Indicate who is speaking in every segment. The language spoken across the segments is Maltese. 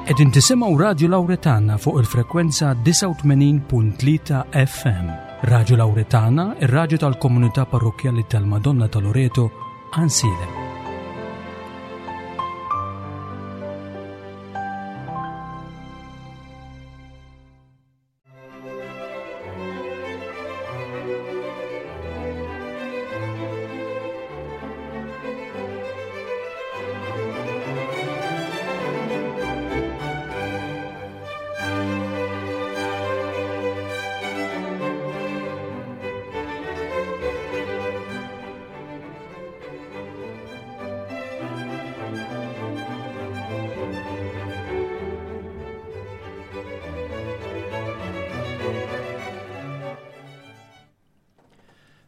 Speaker 1: Qegħdin tisimgħu Radju Lawretana fuq il-frekwenza 89.3 FM. Radju Lawretana, ir-radju tal-komunità parrokkjali tal-Madonna ta' Loreto, Għansielem.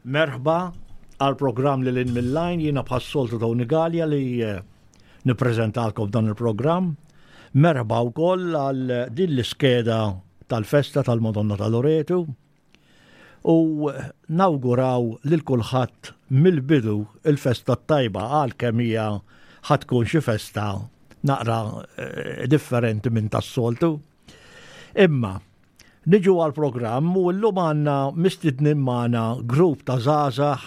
Speaker 2: Merħba għal programm li l-in mill-lajn jiena bħas-soltu Tony Gallia li eh, nippreżentalkom dan il-programm. Merħba wkoll għal din l-iskeda tal-festa tal-Madonna ta' Loretu u nawguraw lil kulħadd mill-bidu il-festa t-tajba għal kemm hija ħa tkun xi festa naqra eh, differenti minn tas-soltu. Imma niġu għal programm u llum għandna mistednin magħna grupp ta' żgħażagħ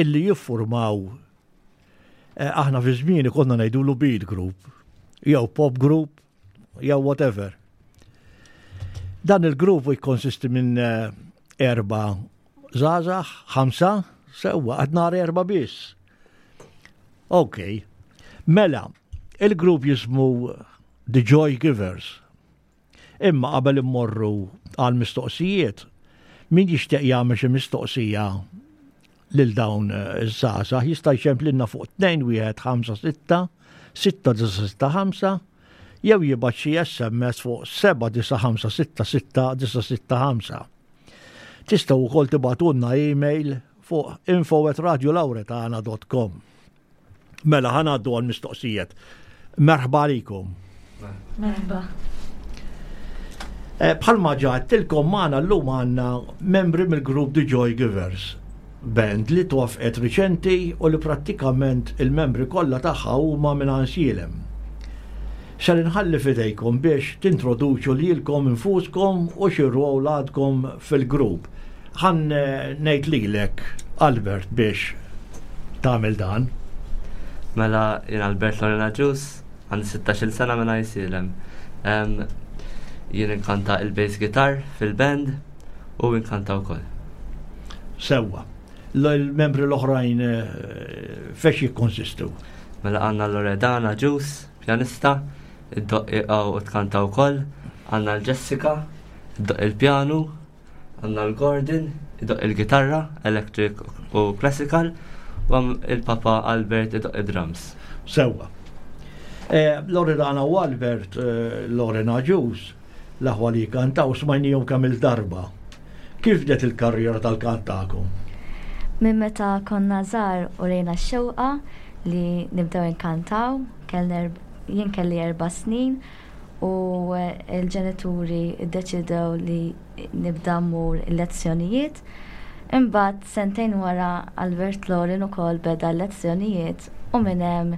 Speaker 2: illi jiffurmaw eh, aħna fi żmieni konna ngħidulu beat group jew pop group jew whatever. Dan il-grupp jikkonsisti minn eh, erba zazax, ħamsa, sewwa, għad nar erba biss. Ok, mela, il-grupp jismu The Joy Givers. Imma qabel immorru għal mistoqsijiet, min jixtieq jagħmel xi mistoqsija lil dawn iż-żgħażagħ jista' jċemplilna fuq 2156 6965 jew jibgħat xi SMS fuq 79566 Tistgħu wkoll tibgħatulna email fuq info@radiolauretana.com. Mela ħa ngħaddu għal mistoqsijiet. Merħba għalikom.
Speaker 3: Merħba.
Speaker 2: Eh, bħalma ġaħtilkom magħna llum għandna membri mill-grupp The Joy Givers band li twaffqet riċenti u li prattikament il-membri kollha tagħha huma minn Għansielem. Ser inħalli f'idejkom biex tintroduċu lilkom infuskom u xi rwol għadkom fil-grupp. Ħa ngħid lilek Albert biex tagħmel dan.
Speaker 4: Mela jien Albert Lorena Ġus, għandi 16-il sena minn Għajsielem. Jien inkanta il-bass guitar fil-band u inkanta wkoll.
Speaker 2: Sewwa. L-membri l-oħrajn eh, fex jikkonsistu?
Speaker 4: Mela għandna Loredana Ġus, pjanista, id-doqq u tkanta wkoll, għandna l-Jessica, id-doqq il-pjanu, Għandna l-Gordon, idoqq il-gitarra, electric u classical, u il-Papa Albert idoqq id-drums.
Speaker 2: Sewwa. Eh, Loredana u Albert, eh, Lorena Ġus, l-aħwa li kantaw smajnijom kemm il-darba. Kif bdiet il-karriera tal-kant tagħkom?
Speaker 3: Minn meta konna żgħar u rejna x-xewqa li nibdew inkantaw, jien kelli erba' snin u l-ġenituri ddeċidew li nibda mmur il-lezzjonijiet. Imbagħad sentejn wara Albert Lorin ukoll beda l-lezzjonijiet u minn hemm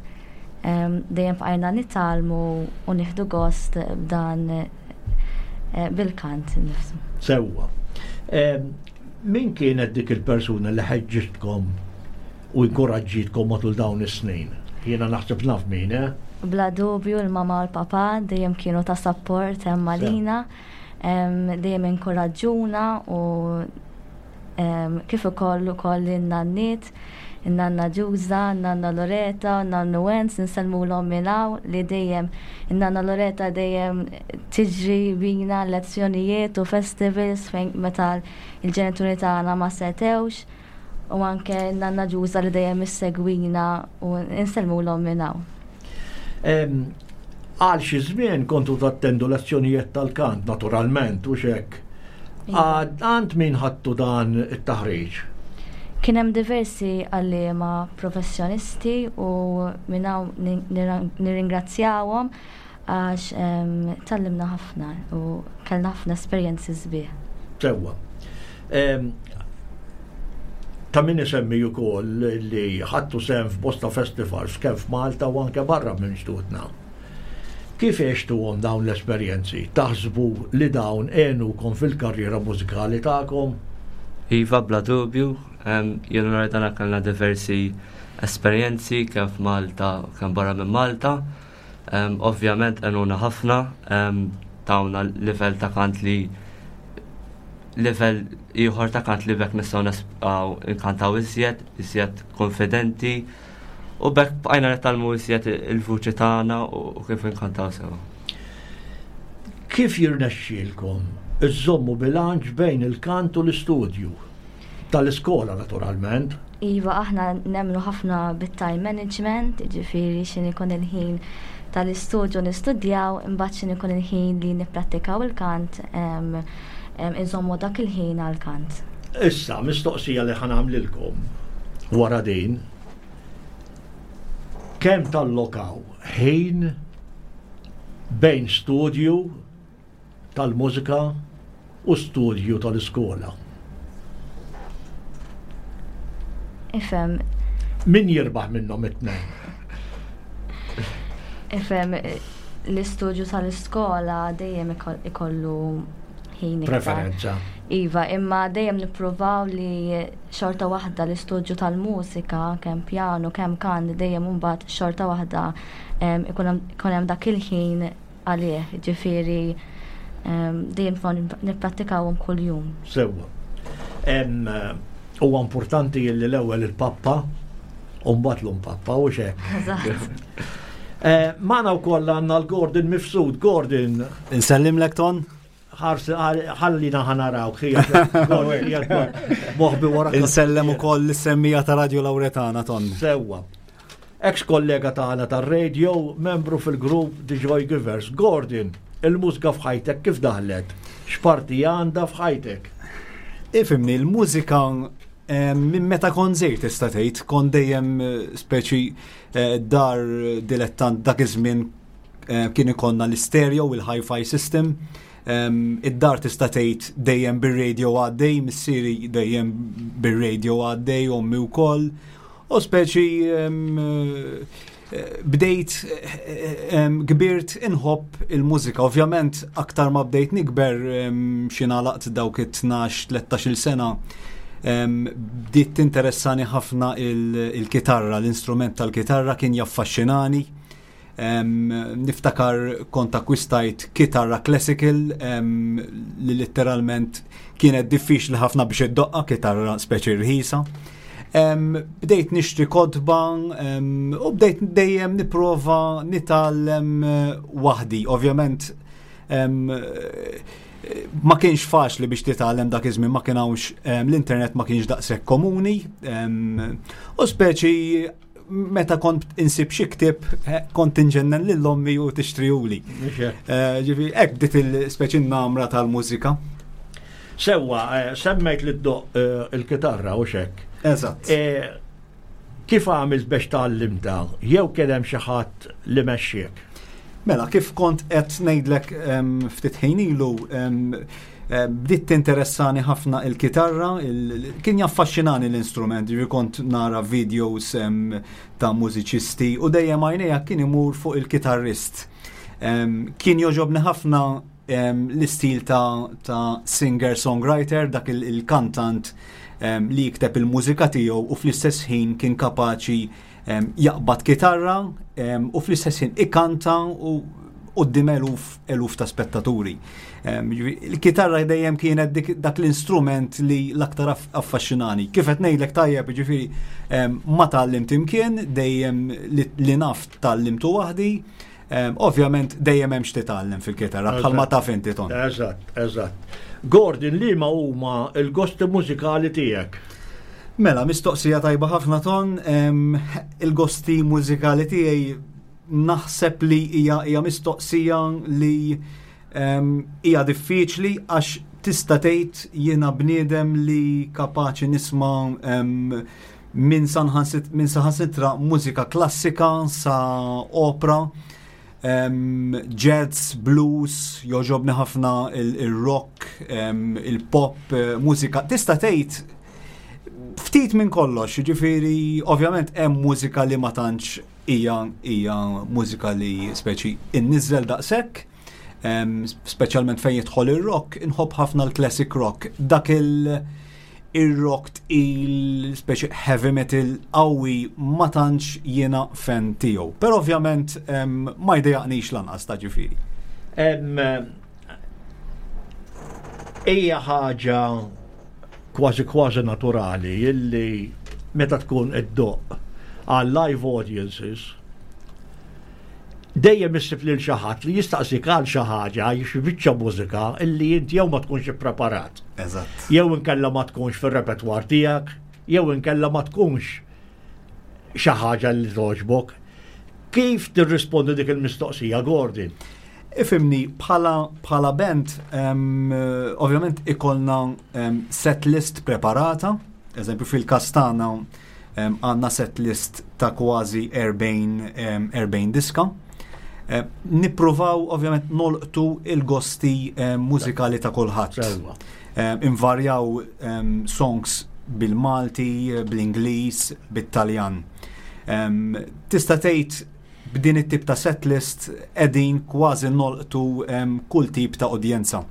Speaker 3: dejjem bqajna nitgħallmu u nieħdu gost b'dan eh, bil-kant nifsu.
Speaker 2: Sewwa. Min kienet dik il-persuna li ħeġġitkom u inkoraġġitkom matul dawn is-snin? Jiena naħseb naf min, eh?
Speaker 3: Bla dubju l-mama u l-papa dejjem kienu ta' support hemm għalina, dejjem inkoraġġuna u kif ukoll ukoll in-nanniet, in-nanna Ġuża, in-nanna Loreta, in-nannu Wenz, insellmulhom minn hawn li dejjem in-nanna Loreta dejjem tiġri bina lezzjonijiet u festivals fejn meta l-ġenituri tagħna ma setgħux. U anke nanna Ġuża li dejjem issegwina u insellmulhom minn hawn.
Speaker 2: Għal xi żmien kontu tattendu lezzjonijiet tal-kant, naturalment, u xek. Iva. Għand min ħadtu dan it-taħriġ?
Speaker 3: Kien hemm diversi għalliema professjonisti u minn hawn nirringrazzjawhom għax tgħallimna ħafna u kellna ħafna esperjenzi sbieħ.
Speaker 2: Sewwa. Ta' min isemmi wkoll li ħadtu sehem f'bosta festivals kemm f'Malta u anke barra minn xtutna. Kif għextuhom dawn l-esperjenzi? Taħsbu li dawn għenukom fil-karriera mużikali tagħkom?
Speaker 4: Iva, bla dubju. Jien u Loredana kellna diversi esperjenzi kemm f'Malta u kemm barra minn Malta. Ovvjament għenuna ħafna, tawna livell ta' kant li livell ieħor ta' kant li bekk nistgħu nesqgħu nkantaw iżjed, iżjed konfidenti u bekk bqajna nitgħallmu iżjed il-vuċi tagħna u kif inkantaw sewa.
Speaker 2: Kif jirnexxielkom iżżommu bilanċ bejn il-kant u l-istudju? Tal-iskola naturalment.
Speaker 3: Iva, aħna nemmnu ħafna bit-time management, jiġifieri x'in ikun il-ħin tal-istudju nistudjaw, imbagħad x'in ikun il-ħin li nipprattikaw il-kant, inżommu dak il-ħin għall-kant.
Speaker 2: Issa, mistoqsija li ħa nagħmlilkom wara din, kemm tallokaw ħin bejn studju tal-mużika u studju tal-iskola.
Speaker 3: Ifhem.
Speaker 2: Min jirbaħ minnhom it-tnejn?
Speaker 3: Ifhem, l-istudju tal-iskola dejjem ikollu ħin.
Speaker 2: Preferenza.
Speaker 3: Iva, imma dejjem nippruvaw li xorta waħda l-istudju tal-mużika, kemm pjanu, kemm kant, dejjem imbagħad xorta waħda ikun hemm dak il-ħin għalih, ġifieri dejjem nipprattikawhom kuljum.
Speaker 2: Sewwa. Huwa importanti li l-ewwel il-pappa u mbagħad l-umpappa u xek. Eh, Magħna wkoll għandna l-Gordon Mifsud. Gordon.
Speaker 5: Insellimlek Ton.
Speaker 2: Ħallina ħanaraw, moħbi wara.
Speaker 5: Insellem ukoll l-semmija ta' Radio Lauretana Ton.
Speaker 2: Sewwa. Eks kollega tagħna tar-radio, membru fil-grupp The Joy Givers. Gordon, il-mużika f'ħajtek kif daħlet? X'parti għandha f'ħajtek?
Speaker 5: Ifhimni, il-mużika eh, minn meta kont żgħir tista' tgħid, kont dejjem eh, speċi eh, dar dilettant dak iż-żmien kien ikollna l-istereo u l-hi-fi system. Id-dar tista' tgħid dejjem bir-radio għaddej, missieri dejjem bir-radio għaddej, ommi wkoll. U speċi bdejt kbirt inħobb il-mużika. Ovvjament aktar ma bdejt nikber xi nagħlaqt dawk it-12-13 sena bdiet tinteressani ħafna il-kitarra, l-instrument tal-kitarra kien jaffaxxinani. Niftakar kont akkwistajt kitarra classical li letteralment kienet diffiċli ħafna biex iddoqqa kitarra speċi rħisa. Bdejt nixtri kotba u bdejt dejjem nipprova nitgħallem eh, waħdi. Ovvjament ma kienx faċli biex titgħallem dak iż-żmien ma kien hawnx l-internet ma kienx daqshekk komuni u speċi meta kont insib xi ktieb eh, kont inġennen lil ommi u tixtrihuli. Eh, ġifi, hekk bdiet il-speċi namra tal-mużika.
Speaker 2: Sewwa, eh, semmejt li ddoq il-kitarra u xek.
Speaker 5: Eżatt.
Speaker 2: Kif għamilt biex tgħallimta? Jew kien hemm xi ħadd li mexxiek?
Speaker 5: Mela, kif kont qed ngħidlek ftit ħin ilu, Eh, bdiet tinteressani ħafna il-kitarra, kien jaffaxxinani l-instrument, ġifieri kont nara videos ta' mużiċisti u dejjem għajnejja kien imur fuq il-kitarrist. Kien joġobni ħafna l-istil ta' singer-songwriter, dak il-kantant li jikteb il-mużika tiegħu u fl-istess ħin kien kapaċi jaqbad kitarra u fl-istess ħin ikanta u qudiem eluf eluf ta' spettaturi. Il-kitarra dejjem kienet dak l-instrument li l-aktar affaxxinani. Kif qed ngħidlek tajjeb, ġifieri ma tgħallimt imkien, dejjem li naf tgħallimtu waħdi. Ovvjament dejjem hemm x'titgħallem fil-kitarra bħalma taf inti ton.
Speaker 2: Eżatt, eżatt. Gordon, liema huma l-gosti mużikali tiegħek?
Speaker 5: Mela, mistoqsija tajba ħafna ton, il-gosti mużikali tiegħi naħseb li hija hija mistoqsija li hija diffiċli għax tista' tgħid jiena bniedem li kapaċi nisma' minn saħansitra mużika klassika sa opra, jazz, blues, joġobni ħafna il-rock, il-pop, eh, mużika. Tista' tgħid ftit minn kollox, ġifieri ovvjament hemm mużika li ma tantx hija hija mużika li speċi inniżżel daqshekk, speċjalment fejn jidħol ir-rock, inħobb ħafna l-classic rock. Dak il- ir-rock tqil, speċi heavy metal qawwi ma tantx jiena fan tiegħu. Però ovvjament ma jdejaqnix lanqas ta' ġifieri.
Speaker 2: Hija ħaġa kważi kważi naturali illi meta tkun qed ddoqq għal live audiences dejjem issib lil xi ħadd li jistaqsik għal xi ħaġa xi biċċa mużika illi inti jew ma tkunx ippreparat.
Speaker 5: Eżatt.
Speaker 2: Jew inkella ma tkunx fir-repertwar tiegħek, jew inkella ma tkunx xi ħaġa li togħġbok. Kif tirrispondi dik il-mistoqsija, Gordon?
Speaker 5: Ifhimni, bħala, bħala band, um, ovvjament ikollna um, set list preparata, eżempju fil-kas tagħna um, għandna set list ta' kważi 40, um, 40 diska. Um, nippruvaw ovvjament nolqtu il-gosti um, mużikali ta' kulħadd. Um, invarjaw um, songs bil-Malti, bl-Ingliż, bit-Taljan. Um, tista' tgħid B'din it-tip ta' setlist qegħdin kważi nolqtu kull tip ta' udjenza.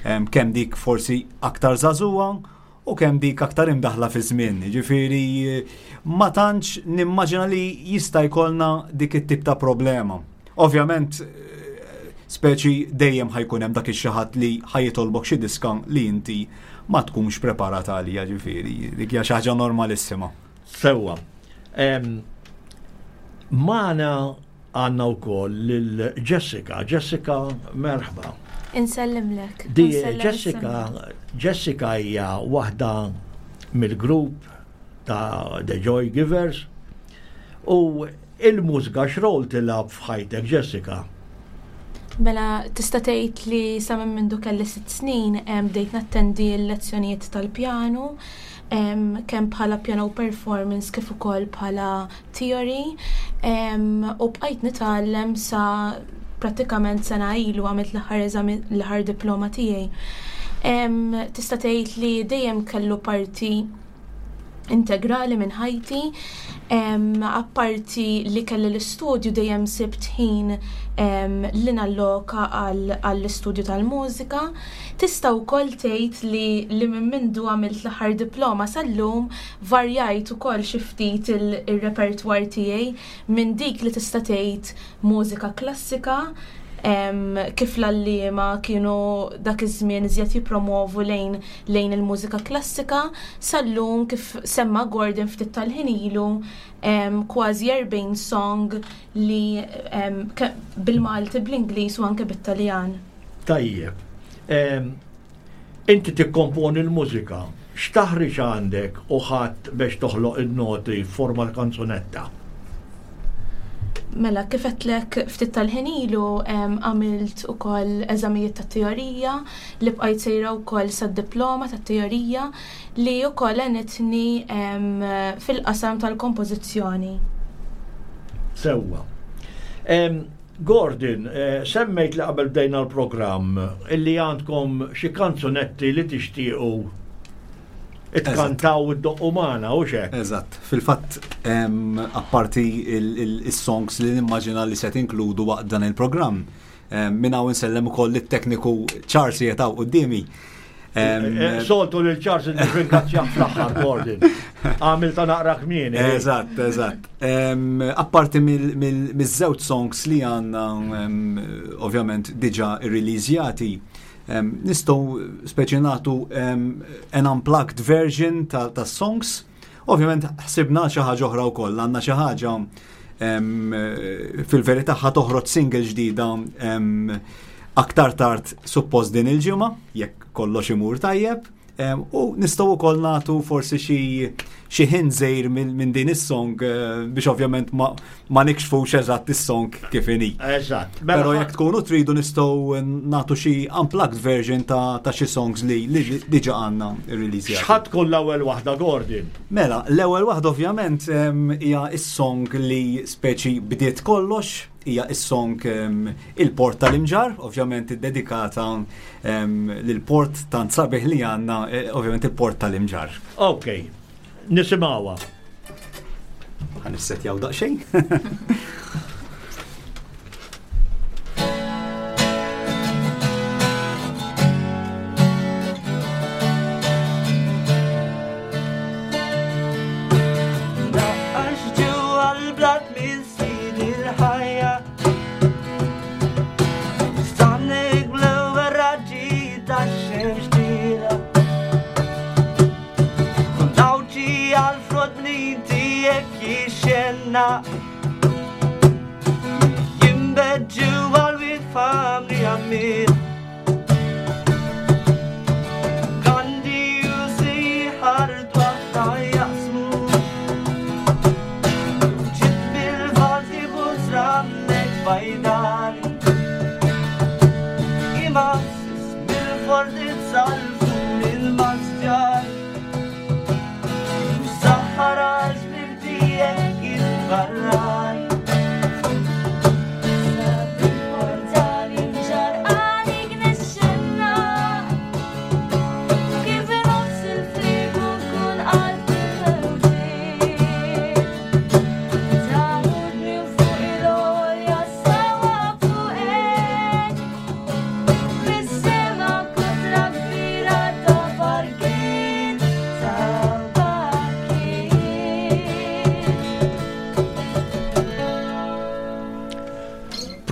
Speaker 5: Kemm dik forsi aktar żagħżugħa u kemm dik aktar imdaħħla fiż-żmien. Jiġifieri ma tantx nimmaġina li jista' jkollna dik it-tip ta' problema. Ovvjament speċi dejjem ħa jkun hemm dak ix-xi ħadd li ħa jitolbok xi diska li inti ma tkunx preparat għaliha, ġifieri dik hija xi ħaġa normalissima.
Speaker 2: Sewwa. Magħna għandna wkoll lil Jessica. Jessica, merħba.
Speaker 6: Insellimlek.
Speaker 2: Di Jessica, Jessica hija waħda mill-grupp ta' The Joy Givers u il-mużika x'rol tilgħab f'ħajtek Jessica?
Speaker 6: Mela tista' tgħid li sa minn mindu kelli sitt snin bdejt nattendi l-lezzjonijiet tal-pjanu kemm bħala piano performance kif ukoll bħala theory u bqajt nitgħallem sa prattikament sena ilu għamilt l-aħħar eżami l-aħħar diploma tiegħi. Tista' tgħid li dejjem kellu parti integrali minn ħajti. Apparti li kelli l-istudju dejjem sibt ħin li nalloka għall-istudju tal-mużika. Tista' wkoll tgħid li li minn mindu għamilt l-aħħar diploma sal-lum varjajt ukoll xi ftit ir-repertwar tiegħi minn dik li tista' tgħid mużika klassika kif l-għalliema kienu dak iż-żmien iżjed jippromovu lejn lejn il-mużika klassika sal-lum kif semma Gordon ftit tal-ħin ilu kważi 40 song li bil-Malti, bl-Ingliż u anke bit-Taljan.
Speaker 2: Tajjeb. Inti tikkomponi l-mużika. X'taħriġ għandek u ħadt biex toħloq in-noti f'forma ta' kanzunetta?
Speaker 6: Mela, kif għedtlek ftit tal-ħin ilu għamilt ukoll eżamijiet ta' teorija li bqajt sejra wkoll sad-diploma tat-teorija li wkoll għenitni fil-qasam tal-kompożizzjoni.
Speaker 2: Sewwa. Gordon, eh, semmejt li qabel bdejna l-programm illi għandkom xi kanzunetti li tixtiequ itkantaw id-doqqu magħna u xek.
Speaker 5: Eżatt. Fil-fatt, apparti il-songs li nimmaġina li se tinkludu waqt dan il-programm, minn hawn insellem ukoll lit-tekniku Charles jetaw qudiemi.
Speaker 2: Eh, soltu lil Charles nirringrazzjah fl-aħħar Gordon. Għamil ta' naqra kmieni.
Speaker 5: Eh. Eżatt, eżatt. Apparti miż-żewġ songs li għandna ovvjament diġà irreleasjati, nistgħu speċi nagħtu an unplugged version tas-songs. Ovvjament ħsibna xi ħaġa oħra wkoll, għandna xi ħaġa fil-verità ħa toħroġ single ġdida aktar tard suppost din il-ġimgħa, jekk kollox imur tajjeb. U nistgħu wkoll nagħtu forsi xi xi ħin żejr minn din is-song eh, biex ovvjament ma, ma nikxfux eżatt is-song kif inhi.
Speaker 2: Eżatt.
Speaker 5: Mela Però jekk tkunu tridu nistgħu nagħtu xi unplugged version ta', ta xi songs li, li diġà għandna release.
Speaker 2: X'ħadd tkun l-ewwel waħda Gordon?
Speaker 5: Mela, l-ewwel waħda ovvjament hija is-song li speċi bdiet kollox, hija is-song il-Port tal-Imġar, ovvjament iddedikata lill-port tant sabiħ li għandna, eh, ovvjament il-Port tal-Imġar.
Speaker 2: Ok, nisimgħuha.
Speaker 5: Ħa nissetjaw daqsxejn.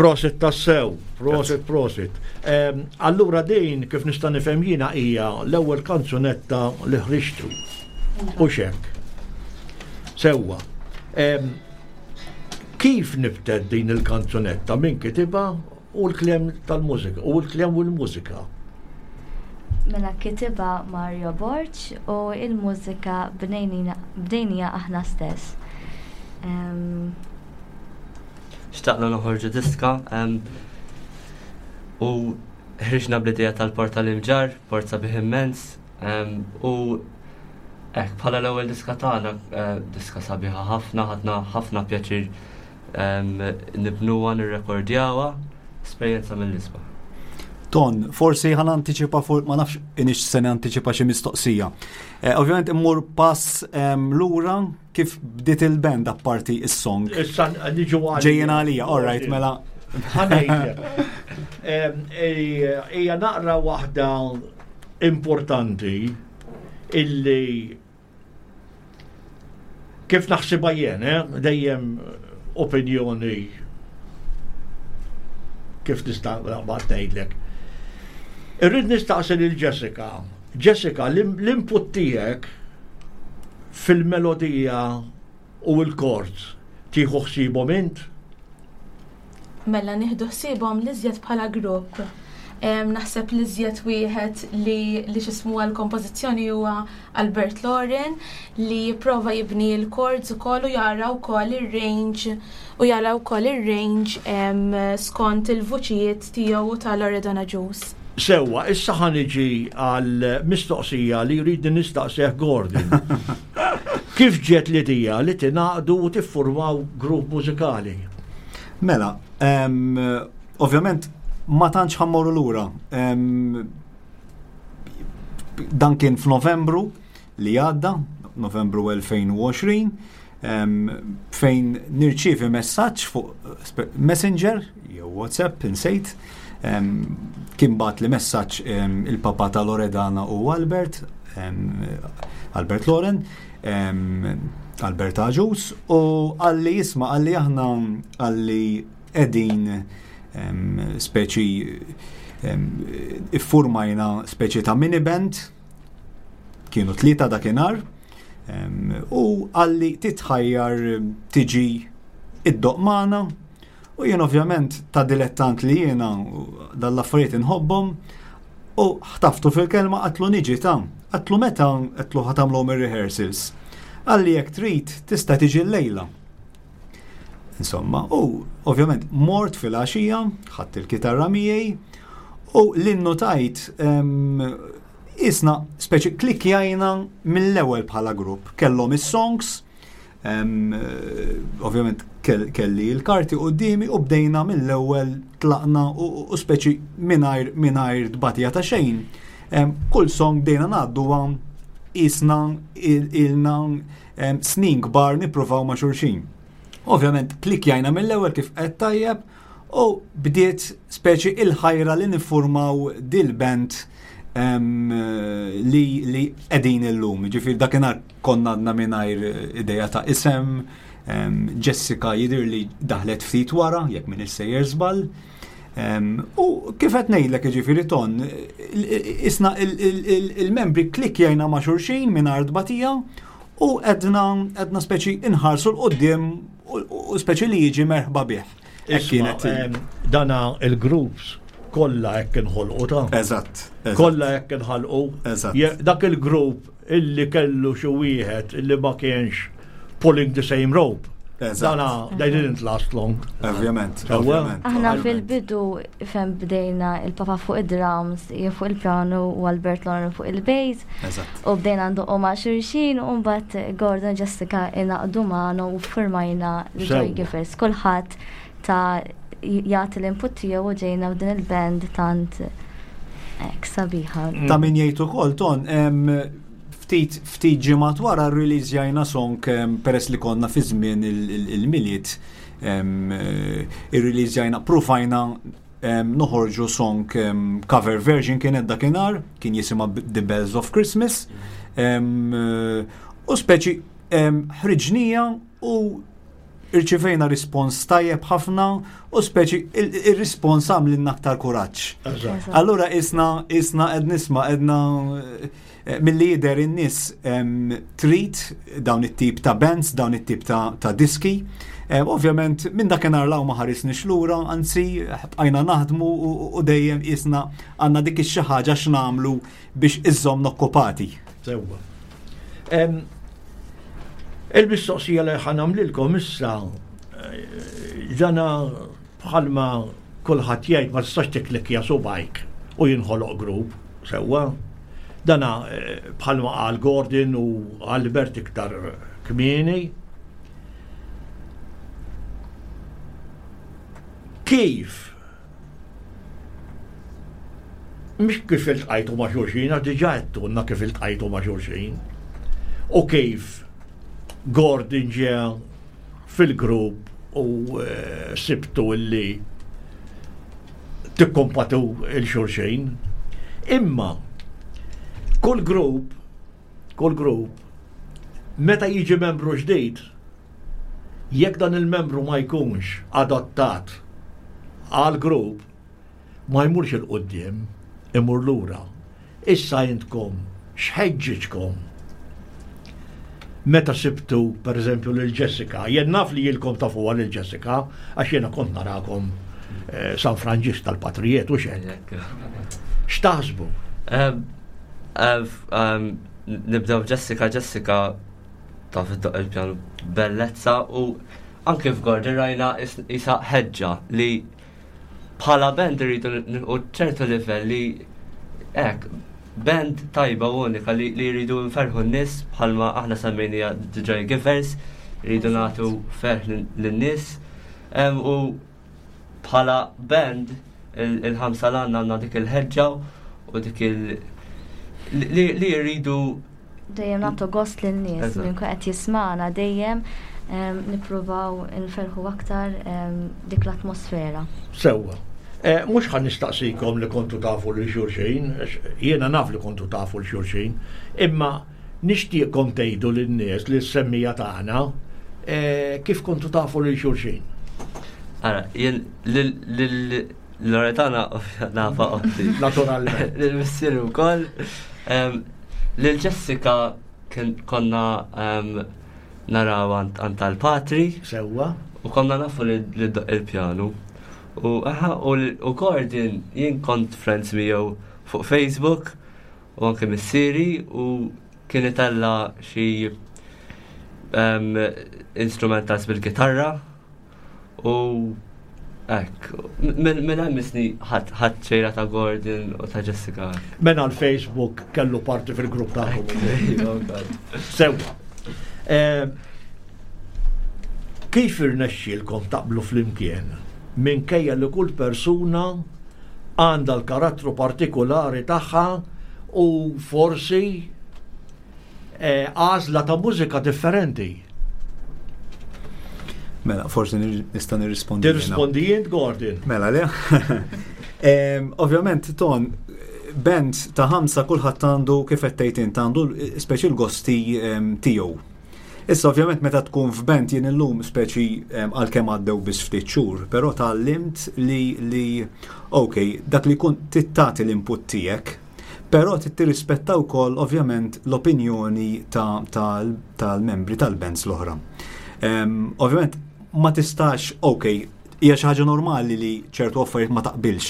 Speaker 2: Prosit tassew, prosit, prosit. Allura din kif nista' nifhem jiena hija l-ewwel kanzunetta li ħriġtu. U xek. Sewwa. Kif nibtet din il-kanzunetta min kitibha u l-kliem tal-mużika u l-kliem u l-mużika?
Speaker 3: Mela kitibha Mario Borg u il-mużika bnejnija aħna stess.
Speaker 4: Xtaqna noħorġu diska u ħriġna bl-idea tal-Port tal-Imġarr, port sabiħ immens, u hekk bħala l-ewwel diska tagħna, eh, diska sabiħa ħafna, ħadna ħafna pjaċir nibnuha, nirrekordjawha, esperjenza mill-isbaħ.
Speaker 5: Ton, forsi ħan antiċipa fuq ma nafx inix se antiċipa xi mistoqsija. Eh, ovvjament immur pass lura Kif bdiet il-band apparti is-song?
Speaker 2: Issa niġu għalija.
Speaker 5: Ġejjin għalija, all right, mela.
Speaker 2: Ejja naqra waħda importanti illi kif naħsibha jien, eh, dejjem opinjoni kif nista' naqbad ngħidlek. Irrid nistaqsi lil Jessica. Jessica, l-input tiegħek Fil-melodija u l-chords tieħu ħsiebhom int?
Speaker 6: Mela nieħdu ħsiebhom l-iżjed bħala grupp. Naħseb l-iżjed wieħed li li x'ismu għall-kompożizzjoni huwa Albert Loren li jipprova jibni l-chords ukoll u jara wkoll ir-range u jara wkoll ir-range skont il-vuċijiet tiegħu u ta' Loredana Agius.
Speaker 2: Sewwa, issa ħa niġi għal mistoqsija li jridni nistaqsih Gordon. Kif ġiet l-idea li tingħaqdu u tiffurmaw grupp mużikali?
Speaker 5: Mela, ovvjament ma tantx ħa mmorru lura. Dan kien f'Novembru li għadda, Novembru 2020, fejn nirċievi messaġġ fuq Messenger jew WhatsApp insejt, kien bat li messaġġ il-papa ta' Loredana u Albert, Albert Loren, Albert Aġus, u għalli jisma għalli aħna għalli edin speċi iffurmajna speċi ta' mini band, kienu tlieta dakinhar, U għalli titħajjar tiġi iddoq magħna u jien ovvjament ta' dilettant li jiena dal-affarijiet inħobbhom u ħtaftu fil-kelma qatlu niġi ta' qatlu meta qatlu ħatamlhom ir-rehearsals. Għalli jekk trid tista' tiġi llejla. Insomma, u ovvjament mort fil-għaxija, ħadd il-kitarra miegħi u l-innotajt Isna speċi klikkjajna mill-ewwel bħala grupp. Kellhom is-songs, ovvjament kelli l-karti quddiemi u bdejna mill-ewwel tlaqna u speċi mingħajr mingħajr tbatija ta' xejn. Kull song bdejna ngħadduha. qisna ilna snin kbar nippruvaw ma' xulxin. Ovvjament klikjajna mill-ewwel kif qed tajjeb u bdiet speċi il-ħajra li niffurmaw dil-band li li qegħdin illum. Ġifieri dakinhar konna għadna mingħajr idea ta' isem, Jessica jidher li daħlet ftit wara, jekk minn sejjer żball. U kif qed ngħidlek jiġifieri ton, isna il-membri klikkjajna ma' xulxin mingħajr tbatija u għedna għedna speċi inħarsu l-qudiem u speċi li jiġi merħba bih.
Speaker 2: Kienet dana il-groups kollha hekk inħolqu ta'
Speaker 5: Eżatt.
Speaker 2: Kollha hekk inħalqu.
Speaker 5: Eżatt.
Speaker 2: Dak il-grupp illi kellu xi wieħed illi ma kienx pulling the same rope. Dana, they didn't last long.
Speaker 5: Ovvjament.
Speaker 3: Aħna fil-bidu fem bdejna il-papa fuq id-drums, jien fuq il-piano u Albert Lauren fuq il-bass. U bdejna ndoqqu ma' xulxin u mbagħad Gordon Jessica inaqdu magħna u firmajna l-Joy Givers. Kulħadd ta' jagħti l-input tiegħu u ġejna f'din il-band tant hekk sabiħa.
Speaker 5: Ta' min jgħid ukoll ton ftit ftit ġimgħat wara rreleasjajna song peress li konna fi żmien il-Milied irreleasjajna prufajna noħorġu song cover version kienet dakinhar, kien jisimha The Bells of Christmas. U speċi ħriġnija u Irċivejna rispons tajjeb ħafna u speċi il-rispons għamlilna aktar kuraġġ. Allura isna isna qed nisma' qedna eh, milli jidher in-nies trid dawn it-tip ta' bands, dawn it-tip ta' diski. Eh, ovvjament minn dakinhar law ma ħarisniex lura, anzi bqajna naħdmu u dejjem isna għandna dik ix-xi ħaġa x'nagħmlu biex iżżommna okkupati.
Speaker 2: Sewwa. Il-mistoqsija li ħa nagħmlilkom issa eh, dana bħalma kulħadd jgħid ma tistax tiklikja subajk u jinħoloq grupp sewwa. Dana eh, bħalma qal Gordon u Albert iktar kmieni. Kif Mhux kif iltqajtu ma' xulxin, għax diġà għedtulna kif iltqajtu ma' xulxin. U kif Gordon ġie fil-grupp u eh, sibtu illi tikkompatu il-xulxin. Imma kull grupp, kull grupp, meta jiġi membru ġdid, jekk dan il-membru ma jkunx adattat għal grupp, ma jmurx 'il quddiem, imur lura. Issa intkom x'ħeġġiġkom meta sibtu pereżempju lil Jessica? Jien naf li ilkom tafuha lil Jessica għax jiena kont narakom eh, San Franġisk tal-Patrijiet u x'hekk. X'taħsbu?
Speaker 4: Nibdew Jessica, Jessica taf iddoqq il-pjanu bellezza u anke f'Gordon rajna isa ħeġġa li bħala band irridu nilqu ċertu livell li hekk band tajba u unika li jridu nferħu n-nies bħalma aħna semmejnija The Joy Givers, rridu nagħtu ferħ lin-nies u bħala band il-ħamsa l-għandna għandna dik il-ħeġġa u dik il- li jridu
Speaker 3: Dejjem nagħtu gost lin-nies minn qed jismana dejjem nippruvaw nferħu aktar dik l-atmosfera.
Speaker 2: Sewwa. Eh, mhux ħan nistaqsikom li kontu tafu lil xulxin, jiena naf li kontu tafu l xulxin, imma nixtieqkom tgħidu lin-nies li s-semmija tagħna eh, kif kontu tafu lil xulxin.
Speaker 4: Ara, jien lil Loretana nafa oħti.
Speaker 2: Naturalment.
Speaker 4: Lil missieri wkoll. Lil Jessica konna naraw għand tal-patri.
Speaker 2: Sewwa.
Speaker 4: U konna nafu li doq il-pjanu. U aha, u Gordon jien kont friends miegħu fuq Facebook u anke missieri u kien itella xi instrumentals bil-gitarra U hekk, minn hemm isni ħadd xejra ta' Gordon u ta' Jessica.
Speaker 2: Mela l-Facebook kellu parti fil-grupp tagħkom. Sewwa. Eh, kif irnexxielkom taqblu flimkien minkejja li kull persuna għandha l-karattru partikolari tagħha u forsi. għażla ta' mużika differenti.
Speaker 5: Mela, forsi nista' nirrispondi.
Speaker 2: Tirrispondi jint, Gordon.
Speaker 5: Mela, le. Ovvjament, Ton, band ta' ħamsa kulħadd għandu kif qed tgħid int għandu speċi l-gosti tiegħu. Issa ovvjament meta tkun f'band jien illum speċi għalkemm għaddew biss ftit xhur, però tgħallimt li li ok, dak li jkun tagħti l-input tiegħek, però trid tirrispetta wkoll ovvjament l-opinjoni tal-membri tal-bands l-oħra. Ovvjament ma tistax, ok, hija xi ħaġa normali li ċertu affarijiet ma taqbilx.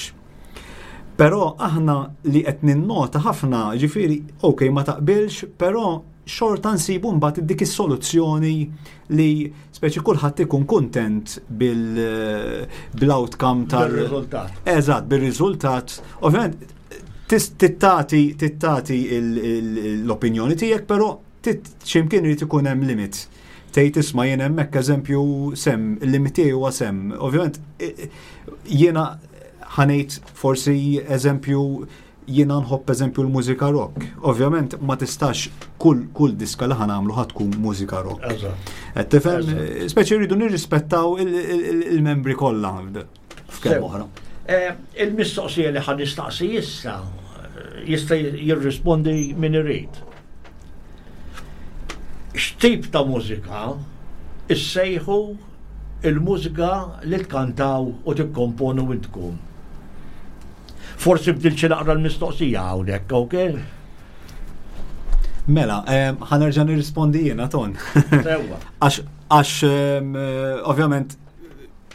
Speaker 5: Però aħna li qed ninnota ħafna, ġifieri, ok, ma taqbilx, però xorta nsibu mbagħad dik is-soluzzjoni li speċi kulħadd ikun kuntent bil-outcome tal-
Speaker 2: Bir-riżultat.
Speaker 5: Eżatt, bir-riżultat. Ovvjament tittati tittati l-opinjoni tiegħek, però x'imkien irid ikun hemm limit. Tgħid isma' jien hemmhekk eżempju sem, il-limit tiegħi huwa sem. Ovvjament jiena ħa ngħid forsi eżempju jiena nħobb eżempju l-mużika rock. Ovvjament ma tistax kull, kull diska li ħa nagħmlu ħa tkun mużika rock. Qed tifhem, speċi rridu nirrispettaw il-membri kollha f'kemm oħra.
Speaker 2: Il-mistoqsija li ħa nistaqsi issa jista' jirrispondi min irid. X'tip ta' mużika issejħu il-mużika li tkantaw u tikkomponu intkom? Forsi bdilt xi naqra l-mistoqsija hawnhekk, ok?
Speaker 5: Mela, ħa nerġa' nirrispondi jiena Ton.
Speaker 2: Sewwa.
Speaker 5: Għax ovvjament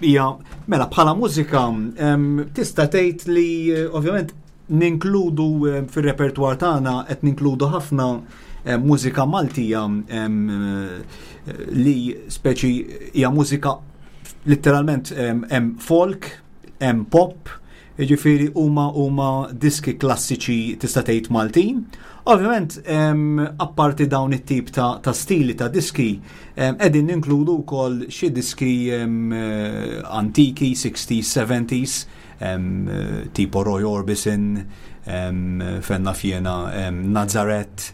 Speaker 5: hija mela bħala mużika tista' tgħid li ovvjament ninkludu fir-repertwar tagħna qed ninkludu ħafna mużika Maltija li speċi hija mużika letteralment hemm folk, hemm pop, jiġifieri huma huma diski klassiċi tista' tgħid Maltin. Ovvjament, apparti dawn it-tip ta', ta stili ta' diski, qegħdin ninkludu wkoll xi diski antiki, 60s, 70s, tipo Roy Orbison, fenna fjena Nazareth,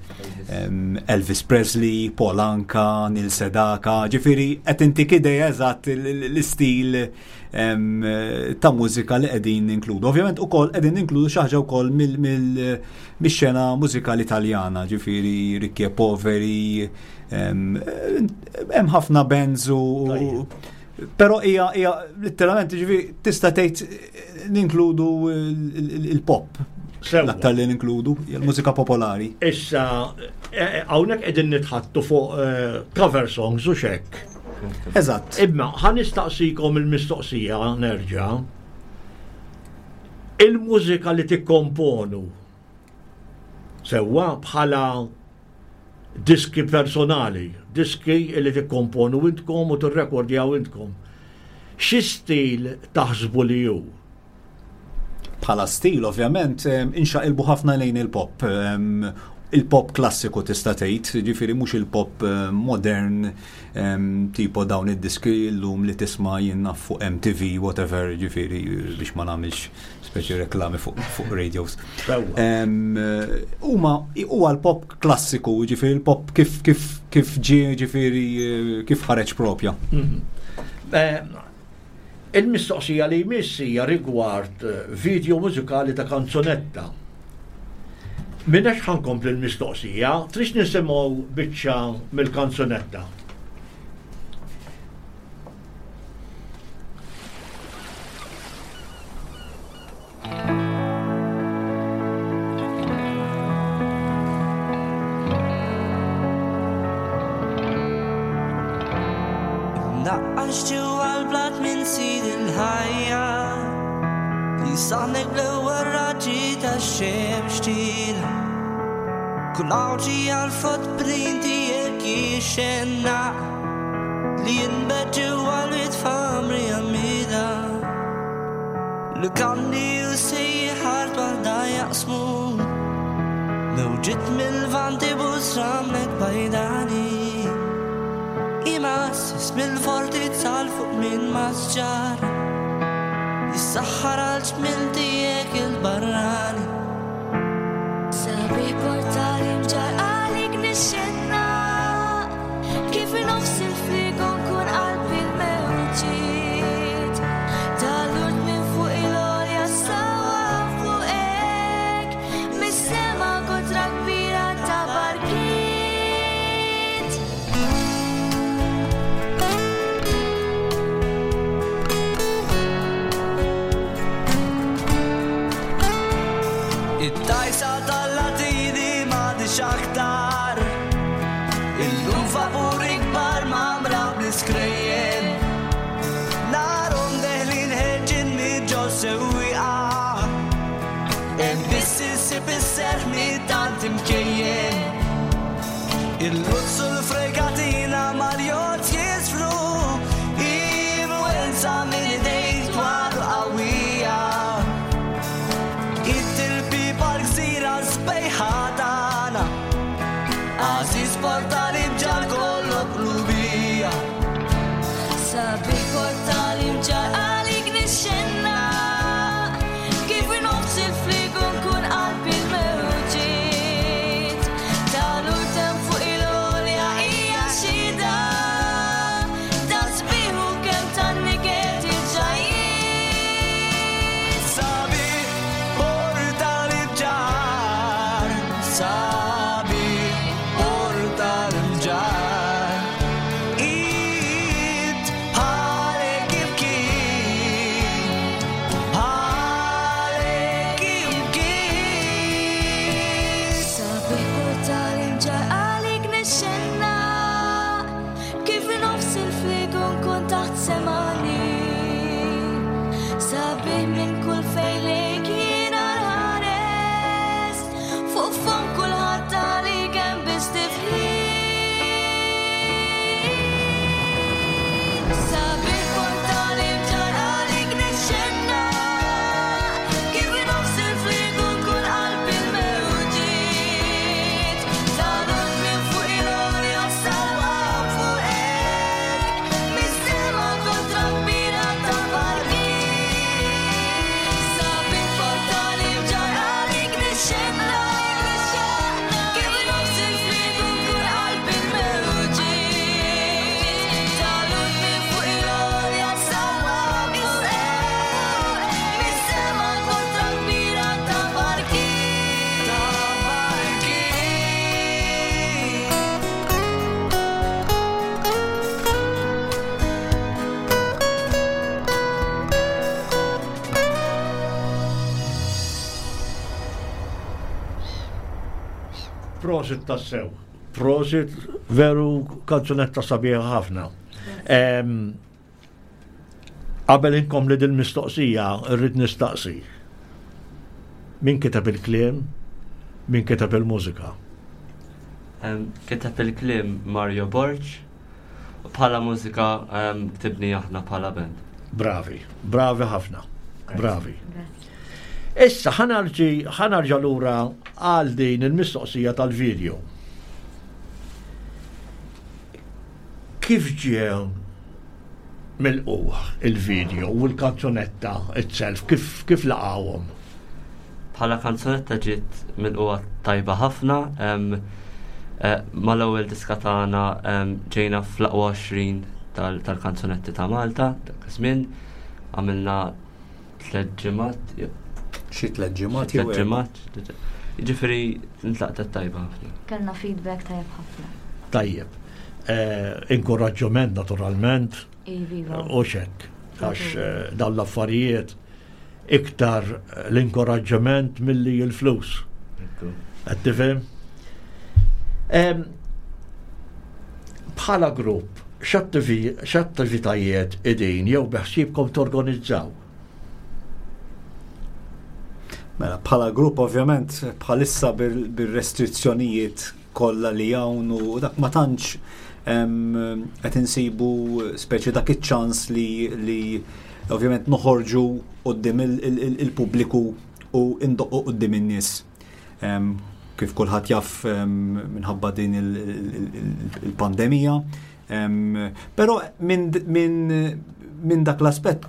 Speaker 5: Elvis Presley, Paul Anka, Neil Sedaka, ġifieri qed intik idea eżatt l-istil ta' mużika li qegħdin ninkludu. Ovvjament ukoll qegħdin ninkludu xi ħaġa wkoll mix-xena mużikali Italjana, ġifieri Ricchi e Poveri, hemm ħafna bands u però hija hija letteralment ġifieri tista' tgħid ninkludu il-pop. L-aktar li ninkludu, hija l-mużika popolari.
Speaker 2: Issa, hawnhekk qegħdin nitħattu fuq cover songs u xek.
Speaker 5: Eżatt.
Speaker 2: Imma ħa nistaqsikom il-mistoqsija nerġa'. Il-mużika li tikkomponu sewwa bħala diski personali, diski li tikkomponu intkom u tirrekordjaw intkom. Xi stil taħsbu li hu?
Speaker 5: Bħala stil, ovvjament, inxaqilbu ħafna lejn il-pop. Il-pop klassiku tista' tgħid, ġifieri mhux il-pop modern tipo dawn id-diski llum li tisma' jien naf fuq MTV, whatever, ġifieri biex ma nagħmilx speċi reklami fuq, fuq radios. Huma huwa l-pop klassiku, ġifieri l-pop kif kif kif ġie ġifieri kif ħareġ propja.
Speaker 2: Il-mistoqsija li jmiss hija rigward video mużikali ta' kanzunetta. Minnex ħa nkompli l-mistoqsija, trix nisimgħu biċċa mill-kanzunetta.
Speaker 7: Naqqax ġewwa l-blat minn sid il-ħajja li saħnek bl-ewwel raġġi tax-xemx tila. Kull għawġi għal-footprint tiegħek jixxenna li jinbet ġewwa l-wied f'għamri għammida. Lukandi u sejħar waħda jaqsmu Mewġiet mill-vanti busramlek bajdani Imassis mill-fortizza l fuq minn masġar Jissaħħar għal ġmil tiegħek il-barrani
Speaker 3: Sabiħ portali mġar għalik nixxenna.
Speaker 7: sewwieqa. Hemm biss insib is-serħ minn tant imkejjen. Il-luzz u l-fregatina mal-jott jisfru, influenza minn idejk twal u qawwija. It-tilbiba l-gżira sbejħa tagħna, għażiż portali mġar kollok qlubija.
Speaker 3: Sabiħ portali mġar għalik nixxenna, kif nofs il-fliegu nkun qalb il-mewġiet. Tal-urtem fuq il-għolja hija xhieda, ta' sbieħ u kemm tan-niket il-ġajjiet.
Speaker 7: Sabiħ portali mġar, sabiħ portali mġar. Int bħalek imkien, bħalek imkien.
Speaker 3: Sabiħ portali mġar għalik nixxenna, kif nofs il-fliegu nkun taħt semani. Sabiħ minn kull fejn lejk jiena nħares, fuq fomm kulħadd għalik hemm biss tifħir. Sabiħ portali mġar għalik nixxenna, kif nofs il-fliegu nkun qalb il-mewġiet. Tal-urt minn fuq il-għolja salwa fuqek, mis-sema kontra kbira ta' barkiet. Sabiħ portali mġar għalik nixxenna, kif nofs il-fliegu nkun qalb il-mewġiet. Tal-urt minn fuq il-għolja salwa fuqek, mis-sema kontra kbira ta' barkiet.
Speaker 7: Ta' barkiet.
Speaker 2: Prosit tassew. Prosit veru kanzunetta sabiħa ħafna. Qabel inkomli din mistoqsija rrid nistaqsi. Min kiteb il-kliem, min kiteb il-mużika?
Speaker 4: Kiteb il-kliem Mario Borg, u bħala mużika ktibni aħna bħala band.
Speaker 2: Bravi, bravi ħafna, bravi. Issa ħanarġa lura għal din il-mistoqsija tal-video. Kif ġie milqugħ il-video u l-kanzunetta itself, kif laqgħuhom?
Speaker 4: Bħala kanzunetta ġiet milqugħa tajba ħafna, mal-ewwel diska tagħna ġejna fl-aqwa 20 tal-kanzunetti ta' Malta, dak iż-żmien għamilna 3 ġimgħat, jew
Speaker 5: Xi 3 ġimgħat
Speaker 4: Xi
Speaker 5: jew
Speaker 4: tliet
Speaker 5: erba'.
Speaker 4: ġimgħat, jiġifieri ntlaqtet tajba ħafna.
Speaker 3: Kellna feedback tajjeb ħafna.
Speaker 2: Tajjeb. Inkoraġġament naturalment.
Speaker 3: Iva.
Speaker 2: U xek, għax dawn l-affarijiet iktar l-inkoraġġament milli l-flus. Qed tifhem? Bħala grupp, x'attivitajiet idin jew beħsiebkom torganizzaw?
Speaker 5: Mela, bħala grupp ovvjament bħalissa bir-restrizzjonijiet kollha li hawn u dak ma tantx qed insibu speċi dak iċ-ċans li ovvjament noħorġu quddiem il-pubbliku u indoqqu quddiem in-nies. Kif kulħadd jaf minħabba din il-pandemija. Però minn dak l-aspett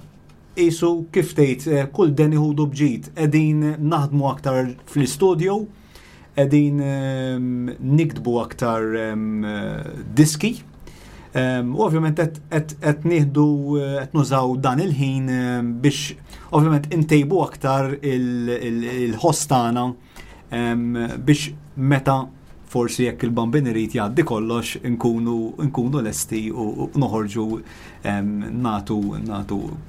Speaker 5: qisu kif tgħid kull den iħudu bġid, qegħdin naħdmu aktar fl-istudio, qegħdin niktbu aktar diski. U ovvjament qed nieħdu, qed nużaw dan il-ħin biex ovvjament intejbu aktar il-ħoss tagħna biex meta forsi jekk il-Bambin irid jgħaddi kollox nkunu lesti u noħorġu nagħtu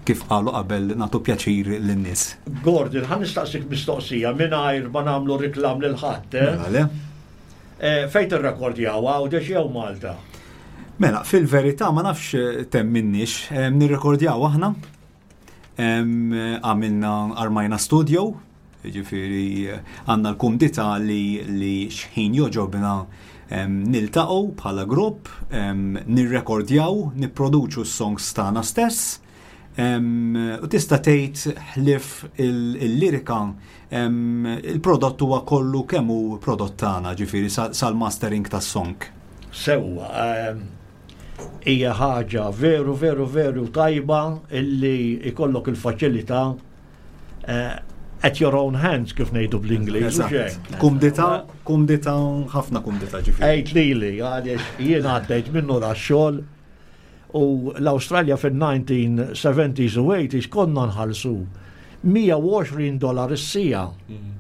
Speaker 5: kif qalu qabel nagħtu pjaċir lin-nies.
Speaker 2: Gordon, ħa nistaqsik mistoqsija mingħajr ma nagħmlu riklam lil ħadd, eh?
Speaker 5: Mela, le.
Speaker 2: Fejn tirrekordjaw Għawdex jew Malta?
Speaker 5: Mela, fil-verità ma nafx temminniex, nirrekordjaw aħna. Għamilna armajna studio, jiġifieri għandna l-kumdità li li x'ħin jogħġobna niltaqgħu bħala grupp, nirrekordjaw, nipproduċu s-songs tagħna stess. U tista' tgħid ħlief il-lirika il-prodott huwa kollu kemm hu prodott tagħna, ġifieri sal-mastering tas-song.
Speaker 2: Sewwa, hija ħaġa veru veru veru tajba illi ikollok il-faċilità eh, at your own hands kif ngħidu bl-Ingliż.
Speaker 5: Kumdita, kumdita, ħafna kumdita
Speaker 2: ġifieri. Għid lili, għaliex jien għaddejt minnu da xogħol u l-Awstralja fil-1970s u 80s konna nħallsu 120 dollar is-sija.
Speaker 5: Mm.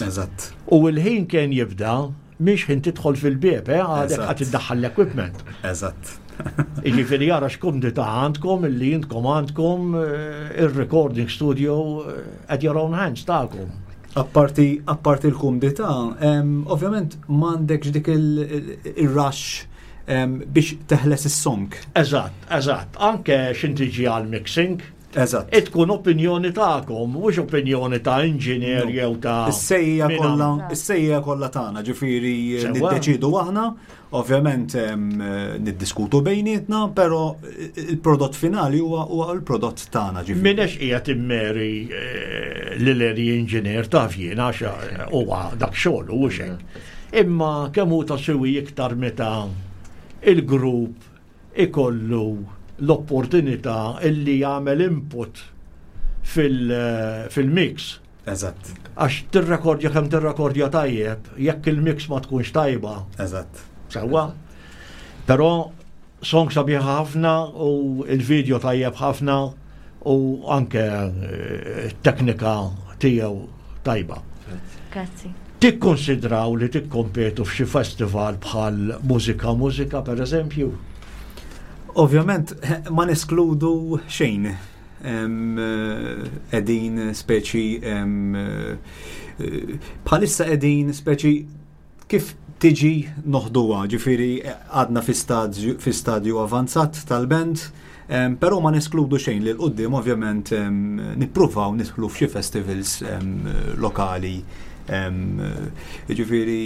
Speaker 5: Eżatt.
Speaker 2: U l-ħin kien jibda Mhix ħin tidħol fil-bieb, eh, għadek ħadd iddaħħal l-equipment.
Speaker 5: Eżatt.
Speaker 2: Jiġifieri jara x'kumdità għandkom illi intkom għandkom eh, ir-recording studio eh, at your own hands tagħkom.
Speaker 5: Apparti apparti l-kumdità, ovvjament m'għandekx dik il-rush biex teħles is-song.
Speaker 2: Eżatt, eżatt. Anke x'intiġi għal mixing.
Speaker 5: Eżatt.
Speaker 2: Tkun opinjoni tagħkom, mhux opinjoni ta' inġinier jew ta'
Speaker 5: Is-sejja kollha, is-sejja kollha tagħna, ġifieri niddeċidu aħna, ovvjament niddiskutu bejnietna, però il-prodott finali huwa l-prodott tagħna
Speaker 2: ġifieri. Minnex qiegħed immeri eh, lil engineer taf jien għax eh, huwa dak xogħol u hekk. Imma kemm hu ta' siwi iktar meta il-grupp ikollu l-opportunità illi jagħmel input fil-mix.
Speaker 5: Eżatt.
Speaker 2: Għax tirrekordja kemm tirrekordja tajjeb, jekk il-mix ma tkunx tajba.
Speaker 5: Eżatt.
Speaker 2: Sewwa. Però song sabiħa ħafna u il-video tajjeb ħafna u anke eh, teknika tiegħu tajba.
Speaker 3: Grazzi.
Speaker 2: Tikkonsidraw li tikkompetu f'xi festival bħal Mużika Mużika pereżempju?
Speaker 5: Ovvjament ma neskludu xejn. Qegħdin speċi bħalissa qegħdin speċi kif tiġi noħduha, ġifieri għadna fi stadju avanzat tal-band, però ma neskludu xejn li l-qudiem ovvjament nippruvaw nidħlu f'xi festivals lokali. Ġifieri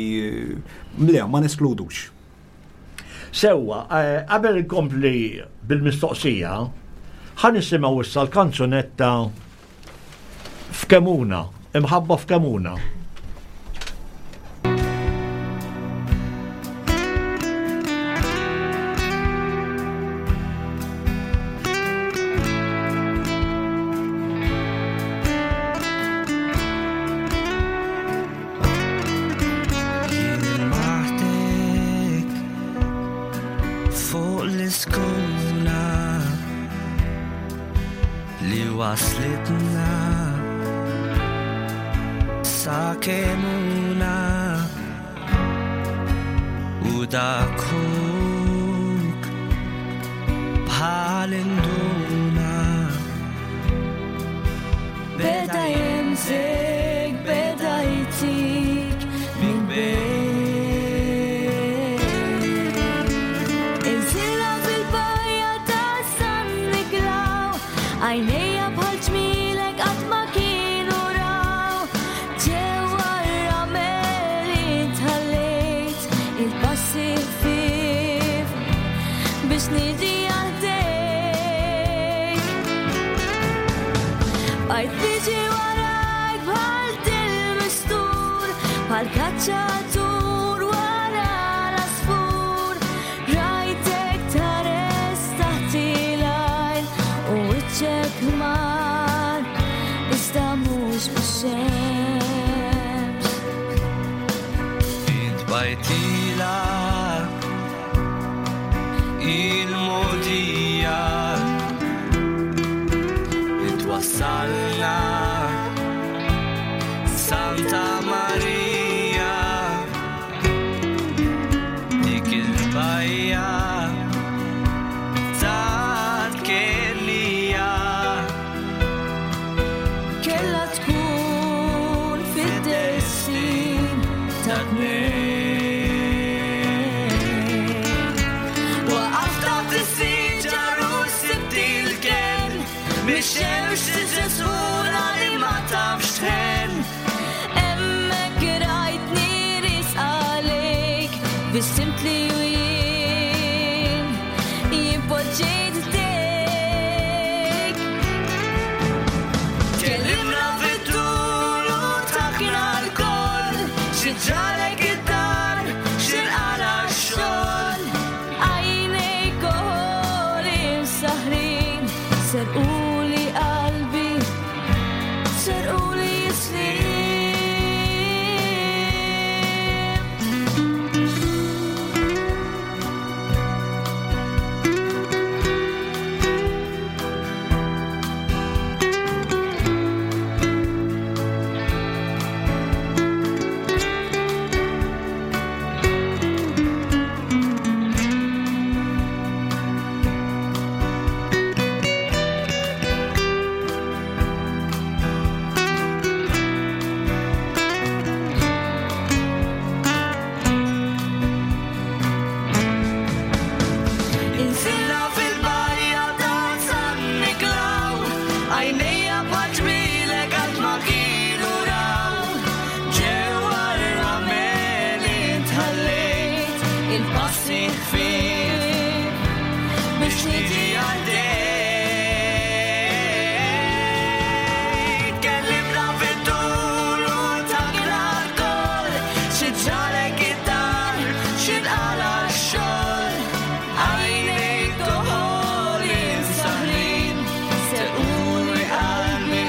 Speaker 5: le, ma neskludux.
Speaker 2: Sewwa, eh, qabel inkompli bil-mistoqsija, ħa nisimgħu issa l-kanzunetta F'Kemuna, imħabba f'Kemuna.
Speaker 7: Fuq l-iskuna Li waslitna sa kemuna u dakuk bħal induna Beda jemżek, beda jtik minn bejn. Inżilha fil-bajja ta' San Niklaw, għajnejja bħal ġmielek qatt ma kienu raw. Ġewwa r-ramel intħallejt il-passi ħfief biex niġi għal ħdejk. Bqajt niġi warajk bħal dil-mistur, bħal kaċċatur wara l-asfur. Rajtek tħares taħt il-għajn u wiċċek ħmar, iżda mhux bix-xemx.
Speaker 8: Int bajtila il-modija li twassalna Santa Maria dik il-bajja tal-Kenija
Speaker 7: Kella tkun fid-destin ta' tnejn.
Speaker 8: Waqaft taħt is-siġar u sibt il-kenn mix-xemx. Xi ġralek id-dar, xi nqala x-xogħol.
Speaker 7: Għajnejk għoli msaħrin, serquli qalbi, serquli snin.
Speaker 8: Inżilna fil-barja ta' San Niklaw, għajnejja bħal ġmielek qatt ma kienu raw. Ġewwa r-ramel intħallejt, il-passi ħfief biex niġi għal-dejt. Kellimna fit-tul u takna l-koll, xi ġralek id-dar, xi nqala x-xogħol. Għajnejk toħoli msaħrin, serquli qalbi,